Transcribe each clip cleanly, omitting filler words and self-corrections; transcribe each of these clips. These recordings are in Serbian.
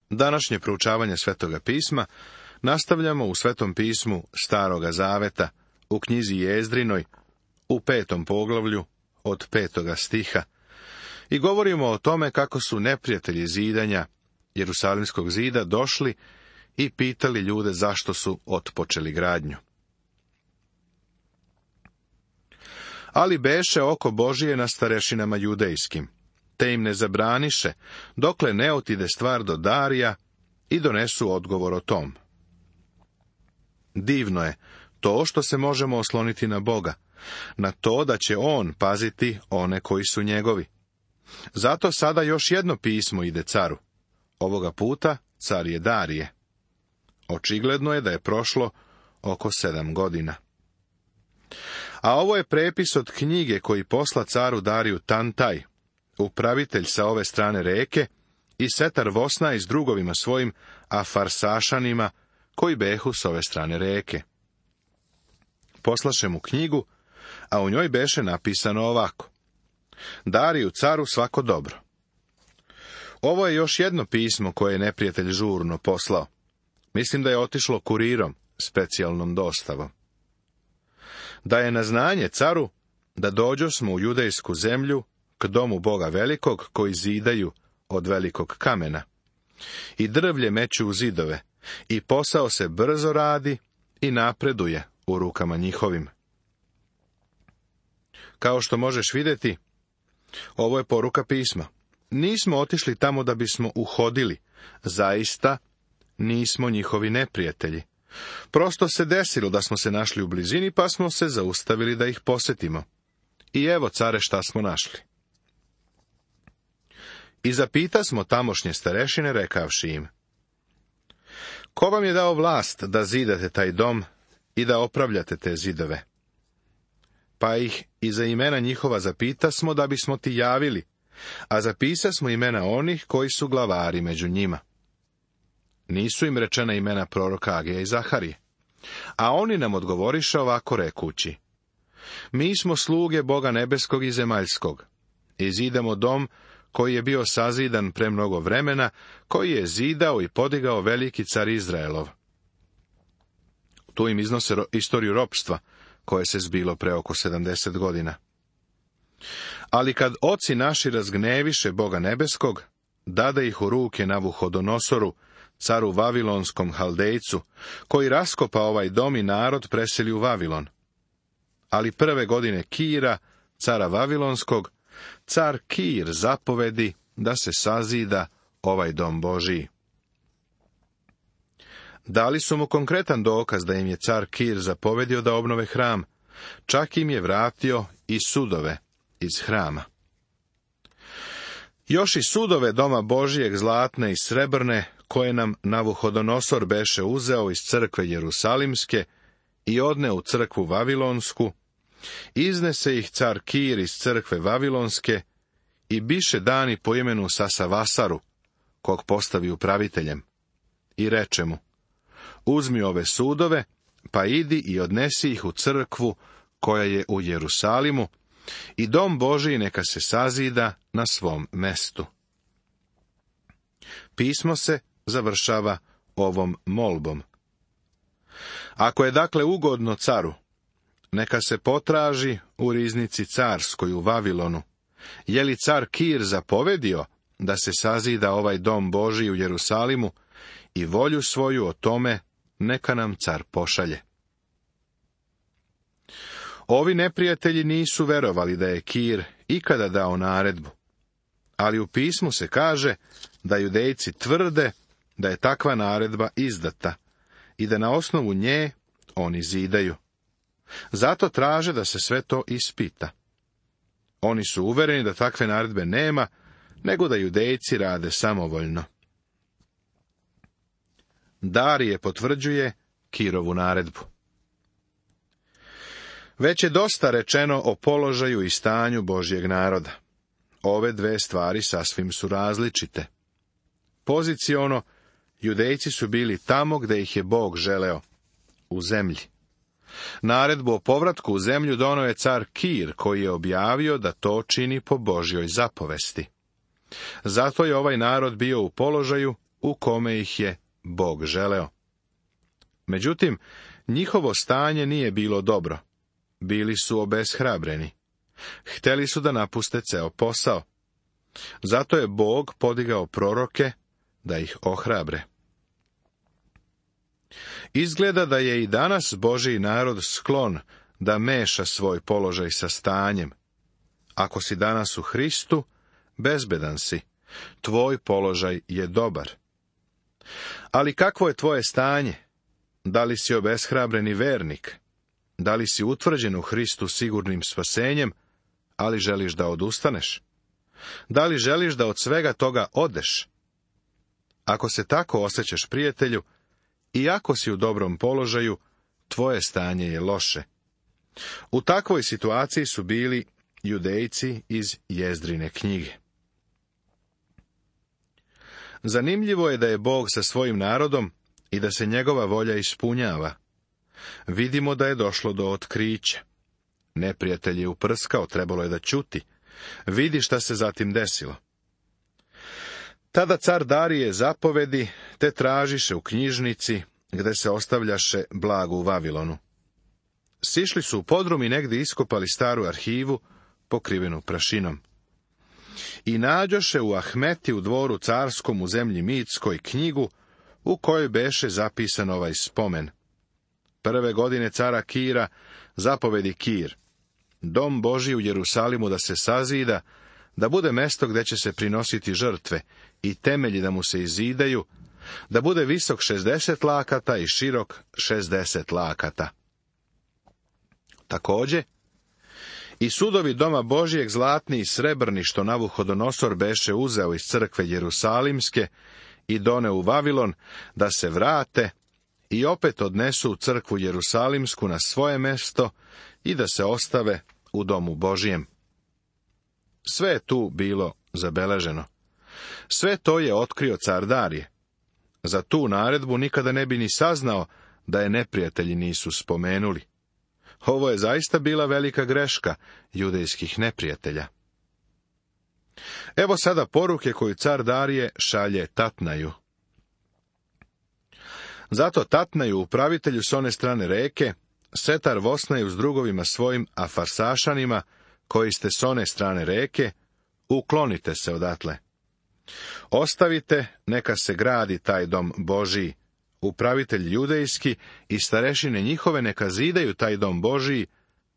Današnje proučavanje Svetoga pisma nastavljamo u Svetom pismu Staroga zaveta, u knjizi Jezdrinoj, u 5. poglavlju, od 5. stiha, i govorimo o tome kako su neprijatelji zidanja Jerusalimskog zida došli i pitali ljude zašto su otpočeli gradnju. Ali beše oko Božije na starešinama judejskim, te im ne zabraniše, dokle ne otide stvar do Darija i donesu odgovor o tom. Divno je to što se možemo osloniti na Boga, na to da će On paziti one koji su njegovi. Zato sada još jedno pismo ide caru. Ovoga puta car je Darije. Očigledno je da je prošlo oko 7 godina. A ovo je prepis od knjige koji posla caru Dariju Tantaj, upravitelj sa ove strane reke, i Setar Vosnaj s drugovima svojim, a Farsašanima, koji behu s ove strane reke. Poslaše mu knjigu, a u njoj beše napisano ovako: Dariju caru svako dobro. Ovo je još jedno pismo koje je neprijatelj žurno poslao. Mislim da je otišlo kurirom, specijalnom dostavom. Da je na znanje caru da dođosmo u judejsku zemlju, k domu Boga velikog, koji zidaju od velikog kamena. I drvlje meću u zidove, i posao se brzo radi i napreduje u rukama njihovim. Kao što možeš vidjeti, ovo je poruka pisma. Nismo otišli tamo da bismo uhodili, zaista nismo njihovi neprijatelji. Prosto se desilo da smo se našli u blizini, pa smo se zaustavili da ih posjetimo. I evo, care, šta smo našli. I zapitasmo tamošnje starešine, rekavši im: Ko vam je dao vlast da zidate taj dom i da opravljate te zidove? Pa ih i za imena njihova zapitasmo da bismo ti javili, a zapisasmo imena onih koji su glavari među njima. Nisu im rečena imena proroka Agija i Zaharije. A oni nam odgovoriše ovako rekući: Mi smo sluge Boga nebeskog i zemaljskog, i zidamo dom koji je bio sazidan pre mnogo vremena, koji je zidao i podigao veliki car Izraelov. Tu im iznose istoriju ropstva, koje se zbilo pre oko 70 godina. Ali kad oci naši razgneviše Boga nebeskog, dade ih u ruke Navuhodonosoru, caru Vavilonskom Haldejcu, koji raskopa ovaj dom i narod preseli u Vavilon. Ali prve godine Kira, cara Vavilonskog, car Kir zapovedi da se sazida ovaj dom Božiji. Dali su mu konkretan dokaz da im je car Kir zapovedio da obnove hram, čak im je vratio i sudove iz hrama. Još i sudove doma Božijeg zlatne i srebrne, koje nam Navuhodonosor beše uzeo iz crkve Jerusalimske i odne u crkvu Vavilonsku, iznese ih car Kir iz crkve Vavilonske i biše dani po imenu Sasavasaru, kog postavi upraviteljem, i reče mu: Uzmi ove sudove, pa idi i odnesi ih u crkvu koja je u Jerusalimu, i dom Božiji neka se sazida na svom mestu. Pismo se završava ovom molbom. Ako je dakle ugodno caru, neka se potraži u riznici carskoj u Vavilonu, je li car Kir zapovedio da se sazida ovaj dom Božiji u Jerusalimu, i volju svoju o tome neka nam car pošalje. Ovi neprijatelji nisu verovali da je Kir ikada dao naredbu, ali u pismu se kaže da Judejci tvrde da je takva naredba izdata i da na osnovu nje oni zidaju. Zato traže da se sve to ispita. Oni su uvereni da takve naredbe nema, nego da Judejci rade samovoljno. Darije potvrđuje Kirovu naredbu. Već je dosta rečeno o položaju i stanju Božjeg naroda. Ove dve stvari sasvim su različite. Poziciono, Judejci su bili tamo gde ih je Bog želeo, u zemlji. Naredbu o povratku u zemlju doneo je car Kir, koji je objavio da to čini po Božjoj zapovesti. Zato je ovaj narod bio u položaju u kome ih je Bog želeo. Međutim, njihovo stanje nije bilo dobro. Bili su obeshrabreni. Hteli su da napuste ceo posao. Zato je Bog podigao proroke da ih ohrabre. Izgleda da je i danas Božji narod sklon da meša svoj položaj sa stanjem. Ako si danas u Hristu, bezbedan si. Tvoj položaj je dobar. Ali kakvo je tvoje stanje? Da li si obeshrabreni vernik? Da li si utvrđen u Hristu sigurnim spasenjem, ali želiš da odustaneš? Da li želiš da od svega toga odeš? Ako se tako osjećaš, prijatelju, i ako si u dobrom položaju, tvoje stanje je loše. U takvoj situaciji su bili Judejci iz Jezdrine knjige. Zanimljivo je da je Bog sa svojim narodom i da se njegova volja ispunjava. Vidimo da je došlo do otkrića. Neprijatelj je uprskao, trebalo je da ćuti. Vidi šta se zatim desilo. Tada car Darije zapovedi, te tražiše u knjižnici, gde se ostavljaše blago u Vavilonu. Sišli su u podrum i negdje iskopali staru arhivu, pokrivenu prašinom. I nađoše u Ahmeti u dvoru carskom u zemlji Mitskoj knjigu, u kojoj beše zapisan ovaj spomen. Prve godine cara Kira zapovedi Kir, dom Božji u Jerusalimu da se sazida, da bude mesto gde će se prinositi žrtve i temelji da mu se izidaju, da bude visok 60 lakata i širok 60 lakata. Takođe, i sudovi doma Božijeg zlatni i srebrni, što Navuhodonosor beše uzeo iz crkve Jerusalimske i doneo u Vavilon, da se vrate i opet odnesu u crkvu Jerusalimsku na svoje mesto i da se ostave u domu Božijem. Sve je tu bilo zabeleženo. Sve to je otkrio car Darije. Za tu naredbu nikada ne bi ni saznao da je neprijatelji nisu spomenuli. Ovo je zaista bila velika greška judejskih neprijatelja. Evo sada poruke koju car Darije šalje Tatnaju. Zato Tatnaju, upravitelju s one strane reke, Setar Vosnaju s drugovima svojim Afarsašanima, koji ste s one strane reke, uklonite se odatle. Ostavite, neka se gradi taj dom Božiji. Upravitelj judejski i starešine njihove neka zidaju taj dom Božiji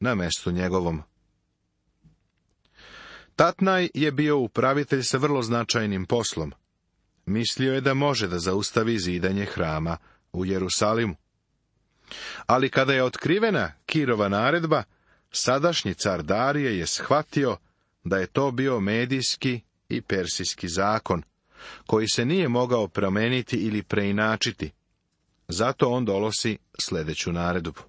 na mestu njegovom. Tatnaj je bio upravitelj sa vrlo značajnim poslom. Mislio je da može da zaustavi zidanje hrama u Jerusalimu. Ali kada je otkrivena Kirova naredba, sadašnji car Darije je shvatio da je to bio medijski i persijski zakon, koji se nije mogao promeniti ili preinačiti. Zato on donosi sljedeću naredbu.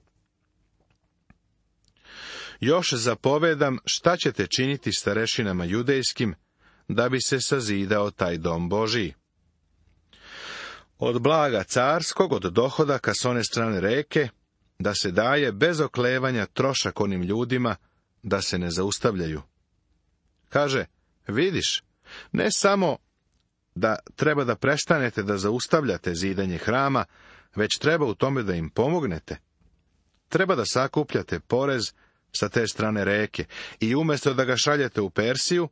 Još zapovedam šta ćete činiti starešinama judejskim, da bi se sazidao taj dom Božiji. Od blaga carskog, od dohodaka s one strane reke, da se daje bez oklevanja trošak onim ljudima, da se ne zaustavljaju. Kaže, vidiš, ne samo da treba da prestanete da zaustavljate zidanje hrama, već treba u tome da im pomognete. Treba da sakupljate porez sa te strane reke i umjesto da ga šaljete u Persiju,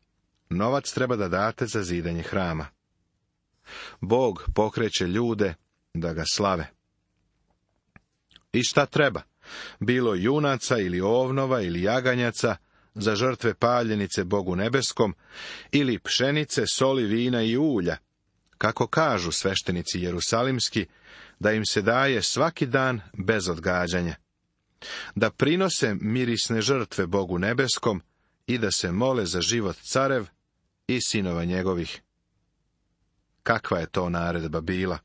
novac treba da date za zidanje hrama. Bog pokreće ljude da ga slave. I šta treba? Bilo junaca ili ovnova ili jaganjaca za žrtve paljenice Bogu nebeskom, ili pšenice, soli, vina i ulja, kako kažu sveštenici jerusalimski, da im se daje svaki dan bez odgađanja, da prinose mirisne žrtve Bogu nebeskom i da se mole za život carev i sinova njegovih. Kakva je to naredba bila?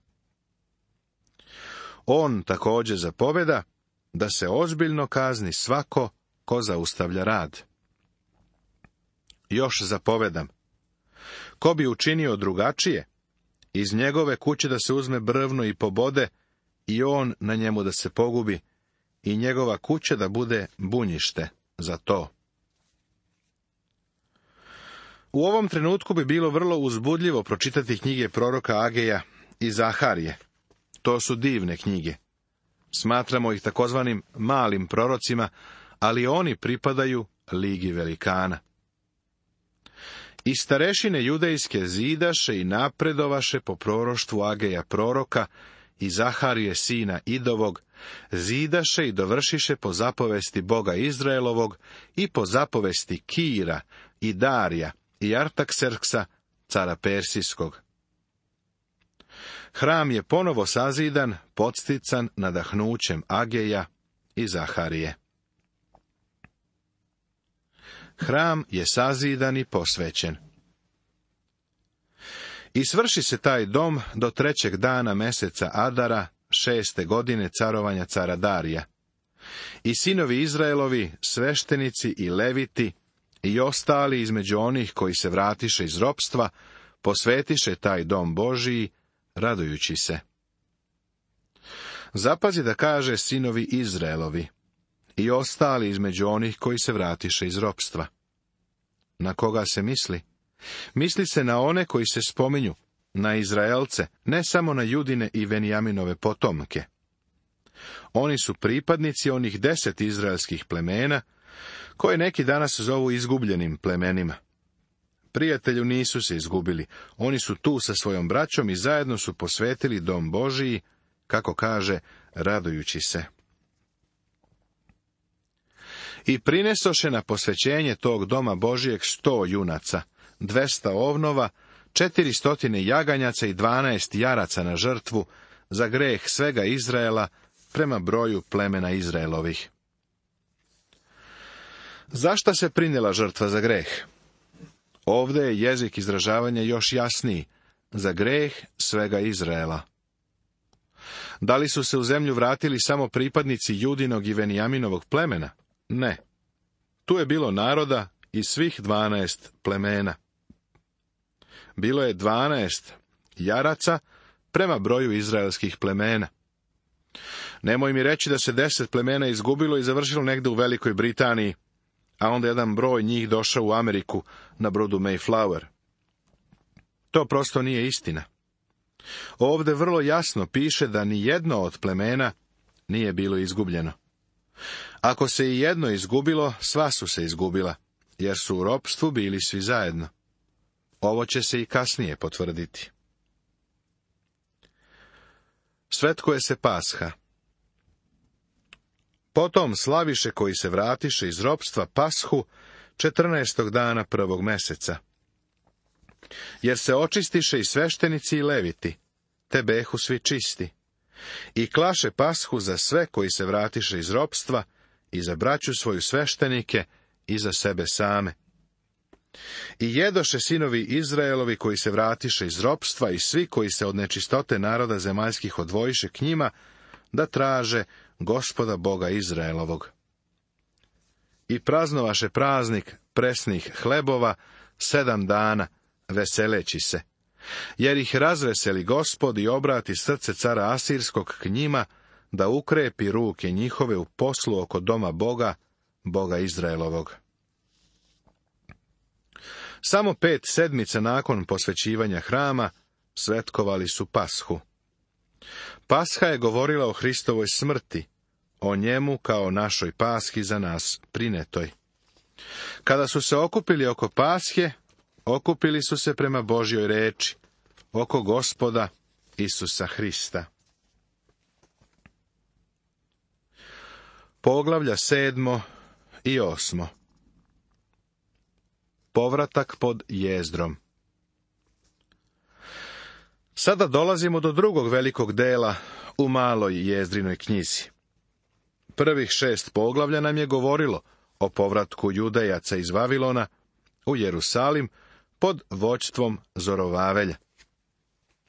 On također zapoveda da se ozbiljno kazni svako ko zaustavlja rad. Još zapovedam, ko bi učinio drugačije, iz njegove kuće da se uzme brvno i pobode, i on na njemu da se pogubi, i njegova kuća da bude bunjište za to. U ovom trenutku bi bilo vrlo uzbudljivo pročitati knjige proroka Ageja i Zaharije. To su divne knjige. Smatramo ih takozvanim malim prorocima, ali oni pripadaju ligi velikana. I starešine judejske zidaše i napredovaše po proroštvu Ageja proroka i Zaharije sina Idovog, zidaše i dovršiše po zapovesti Boga Izraelovog i po zapovesti Kira i Darija i Artakserksa, cara Persijskog. Hram je ponovo sazidan, podstican nadahnućem Ageja i Zaharije. Hram je sazidan i posvećen. I svrši se taj dom do 3. dana meseca Adara, 6. godine carovanja cara Darija. I sinovi Izraelovi, sveštenici i leviti, i ostali između onih koji se vratiše iz ropstva, posvetiše taj dom Božiji, radujući se. Zapazi da kaže sinovi Izraelovi, i ostali između onih koji se vratiše iz ropstva. Na koga se misli? Misli se na one koji se spominju, na Izraelce, ne samo na Judine i Venijaminove potomke. Oni su pripadnici onih 10 izraelskih plemena, koje neki danas zovu izgubljenim plemenima. Prijatelju, nisu se izgubili, oni su tu sa svojom braćom i zajedno su posvetili dom Božiji, kako kaže, radujući se. I prinesoše na posvećenje tog doma Božijeg 100 junaca, 200 ovnova, 400 jaganjaca i 12 jaraca na žrtvu, za greh svega Izraela, prema broju plemena Izraelovih. Zašta se prinijela žrtva za greh? Ovdje je jezik izražavanja još jasniji, za greh svega Izraela. Da li su se u zemlju vratili samo pripadnici Judinog i Venijaminovog plemena? Ne. Tu je bilo naroda iz svih 12 plemena. Bilo je 12 jaraca prema broju izraelskih plemena. Nemoj mi reći da se 10 plemena izgubilo i završilo negdje u Velikoj Britaniji, a onda jedan broj njih došao u Ameriku na brodu Mayflower. To prosto nije istina. Ovdje vrlo jasno piše da ni jedno od plemena nije bilo izgubljeno. Ako se i jedno izgubilo, sva su se izgubila, jer su u ropstvu bili svi zajedno. Ovo će se i kasnije potvrditi. Svetkuje se Pasha. Potom slaviše koji se vratiše iz ropstva Pashu 14. dana 1. meseca. Jer se očistiše i sveštenici i leviti, te behu svi čisti. I klaše Pashu za sve koji se vratiše iz ropstva, i za braću svoju sveštenike, i za sebe same. I jedoše sinovi Izraelovi koji se vratiše iz ropstva i svi koji se od nečistote naroda zemaljskih odvojiše k njima, da traže Gospoda Boga Izraelovog. I praznovaše praznik presnih hlebova 7 dana, veseleći se, jer ih razveseli Gospod i obrati srce cara Asirskog k njima, da ukrepi ruke njihove u poslu oko doma Boga, Boga Izraelovog. Samo 5 sedmica nakon posvećivanja hrama svetkovali su Pashu. Pasha je govorila o Hristovoj smrti, o njemu kao našoj pashi za nas prinetoj. Kada su se okupili oko Pashe, okupili su se prema Božjoj reči, oko Gospoda Isusa Hrista. Poglavlja 7. i 8. Povratak pod jezdrom. Sada dolazimo do drugog velikog dela u maloj jezdrinoj knjizi. Prvih 6 poglavlja nam je govorilo o povratku Judejaca iz Vavilona u Jerusalim pod vođstvom Zorovavelja.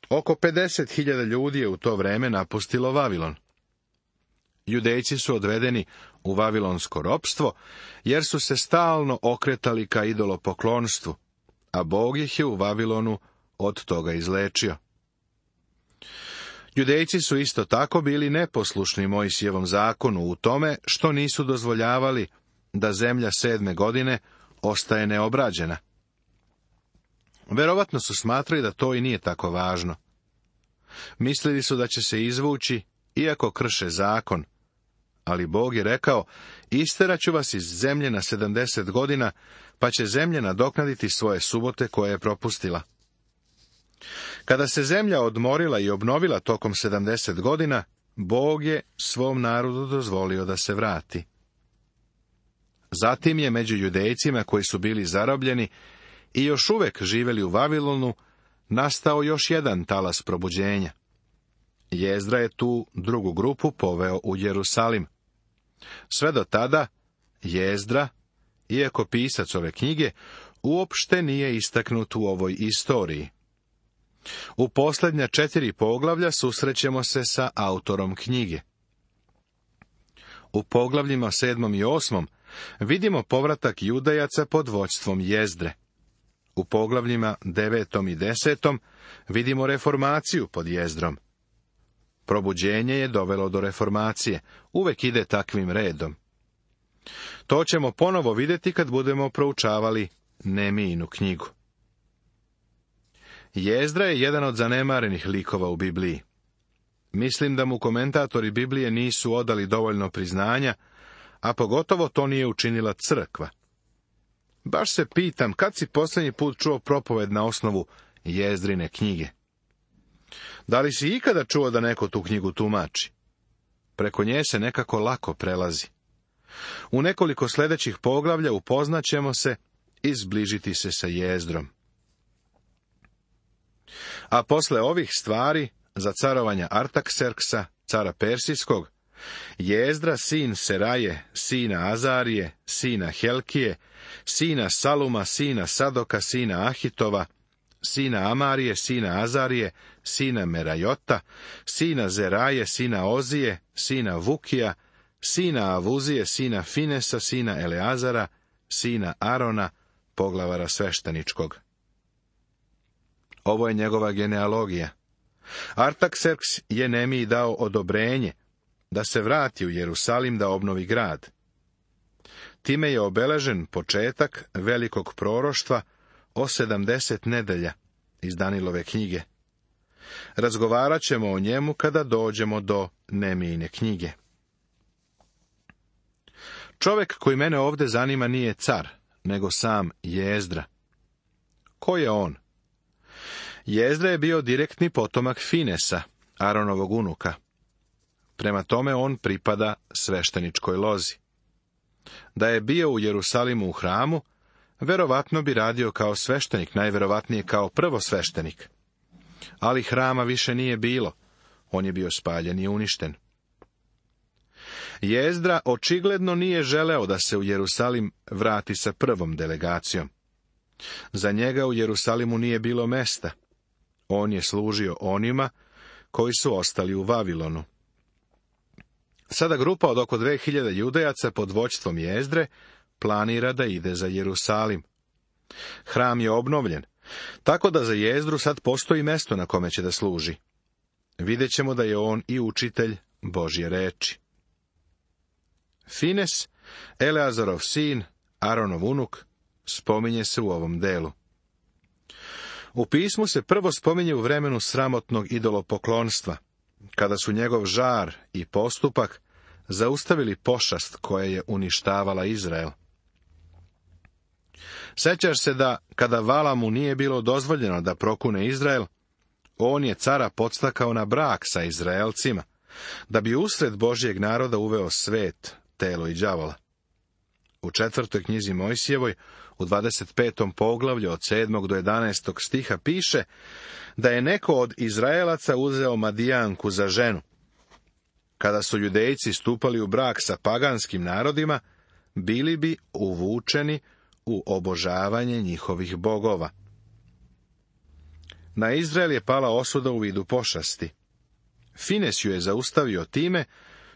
Oko 50.000 ljudi je u to vreme napustilo Vavilon. Judejci su odvedeni u vavilonsko ropstvo, jer su se stalno okretali ka idolopoklonstvu, a Bog ih je u Vavilonu od toga izlečio. Judejci su isto tako bili neposlušni Mojsijevom zakonu u tome što nisu dozvoljavali da zemlja 7. godine ostaje neobrađena. Verovatno su smatrali da to i nije tako važno. Mislili su da će se izvući, iako krše zakon. Ali Bog je rekao, isteraću vas iz zemlje na 70 godina, pa će zemlja nadoknaditi svoje subote koje je propustila. Kada se zemlja odmorila i obnovila tokom 70 godina, Bog je svom narodu dozvolio da se vrati. Zatim je među Judejcima koji su bili zarobljeni i još uvek živjeli u Vavilonu, nastao još jedan talas probuđenja. Jezdra je tu drugu grupu poveo u Jerusalim. Sve do tada, Jezdra, iako pisac ove knjige, uopšte nije istaknut u ovoj istoriji. U posljednja 4 poglavlja susrećemo se sa autorom knjige. U poglavljima 7. i 8. vidimo povratak Judejaca pod vođstvom Jezdre. U poglavljima 9. i 10. vidimo reformaciju pod Jezdrom. Probuđenje je dovelo do reformacije, uvek ide takvim redom. To ćemo ponovo vidjeti kad budemo proučavali Nehemijinu knjigu. Jezdra je jedan od zanemarenih likova u Bibliji. Mislim da mu komentatori Biblije nisu odali dovoljno priznanja, a pogotovo to nije učinila crkva. Baš se pitam, kad si posljednji put čuo propoved na osnovu Jezdrine knjige? Da li si ikada čuo da neko tu knjigu tumači? Preko nje se nekako lako prelazi. U nekoliko sljedećih poglavlja upoznaćemo se i zbližiti se sa Jezdrom. A posle ovih stvari, za carovanja Artakserksa, cara Persijskog, Jezdra, sin Seraje, sina Azarije, sina Helkije, sina Saluma, sina Sadoka, sina Ahitova, sina Amarije, sina Azarije, sina Merajota, sina Zeraje, sina Ozije, sina Vukija, sina Avuzije, sina Finesa, sina Eleazara, sina Arona, poglavara svešteničkog. Ovo je njegova genealogija. Artakserks je Nehemiji dao odobrenje da se vrati u Jerusalim da obnovi grad. Time je obeležen početak velikog proroštva o 70 nedelja iz Danilove knjige. Razgovarat ćemo o njemu kada dođemo do Nehemijine knjige. Čovjek koji mene ovdje zanima nije car, nego sam Jezdra. Ko je on? Jezdra je bio direktni potomak Finesa, Aronovog unuka. Prema tome on pripada svešteničkoj lozi. Da je bio u Jerusalimu u hramu, verovatno bi radio kao sveštenik, najverovatnije kao prvosveštenik. Ali hrama više nije bilo, on je bio spaljen i uništen. Jezdra očigledno nije želeo da se u Jerusalim vrati sa prvom delegacijom. Za njega u Jerusalimu nije bilo mesta. On je služio onima koji su ostali u Vavilonu. Sada grupa od oko 2000 Judejaca pod vođstvom Jezdre planira da ide za Jerusalim. Hram je obnovljen, tako da za Jezdru sad postoji mesto na kome će da služi. Vidjet ćemo da je on i učitelj Božje reči. Fines, Eleazarov sin, Aronov unuk, spominje se u ovom delu. U pismu se prvo spominje u vremenu sramotnog idolopoklonstva, kada su njegov žar i postupak zaustavili pošast koja je uništavala Izrael. Sećaš se da, kada Valamu nije bilo dozvoljeno da prokune Izrael, on je cara podstakao na brak sa Izraelcima, da bi usred Božjeg naroda uveo svet, telo i đavola. U 4. knjizi Mojsijevoj, u 25. poglavlju od 7. do 11. stiha piše da je neko od Izraelaca uzeo Madijanku za ženu. Kada su Judejci stupali u brak sa paganskim narodima, bili bi uvučeni u obožavanje njihovih bogova. Na Izrael je pala osuda u vidu pošasti. Fines ju je zaustavio time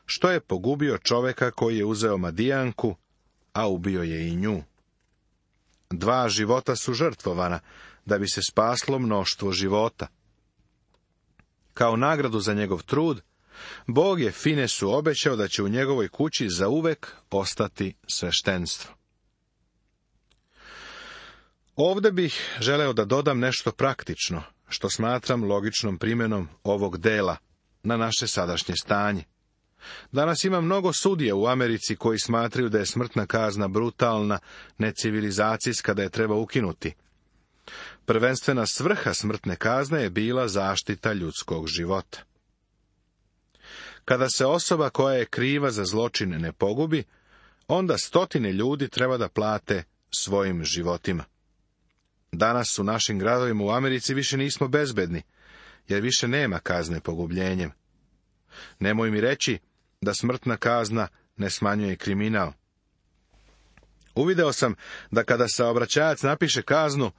što je pogubio čoveka koji je uzeo Madijanku, a ubio je i nju. 2 života su žrtvovana, da bi se spaslo mnoštvo života. Kao nagradu za njegov trud, Bog je Finesu obećao da će u njegovoj kući zauvek ostati sveštenstvo. Ovdje bih želeo da dodam nešto praktično, što smatram logičnom primjenom ovog dela na naše sadašnje stanje. Danas ima mnogo sudija u Americi koji smatraju da je smrtna kazna brutalna, necivilizacijska, da je treba ukinuti. Prvenstvena svrha smrtne kazne je bila zaštita ljudskog života. Kada se osoba koja je kriva za zločine ne pogubi, onda stotine ljudi treba da plate svojim životima. Danas u našim gradovima u Americi više nismo bezbedni, jer više nema kazne pogubljenjem. Nemoj mi reći da smrtna kazna ne smanjuje kriminal. Uvideo sam da kada saobraćajac napiše kaznu,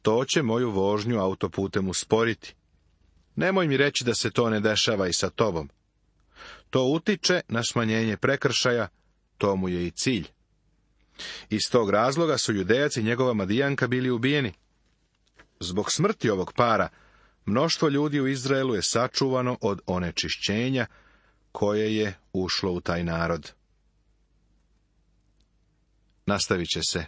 to će moju vožnju autoputem usporiti. Nemoj mi reći da se to ne dešava i sa tobom. To utiče na smanjenje prekršaja, to mu je i cilj. Iz tog razloga su Judejac i njegova Madijanka bili ubijeni. Zbog smrti ovog para, mnoštvo ljudi u Izraelu je sačuvano od onečišćenja koje je ušlo u taj narod. Nastavit će se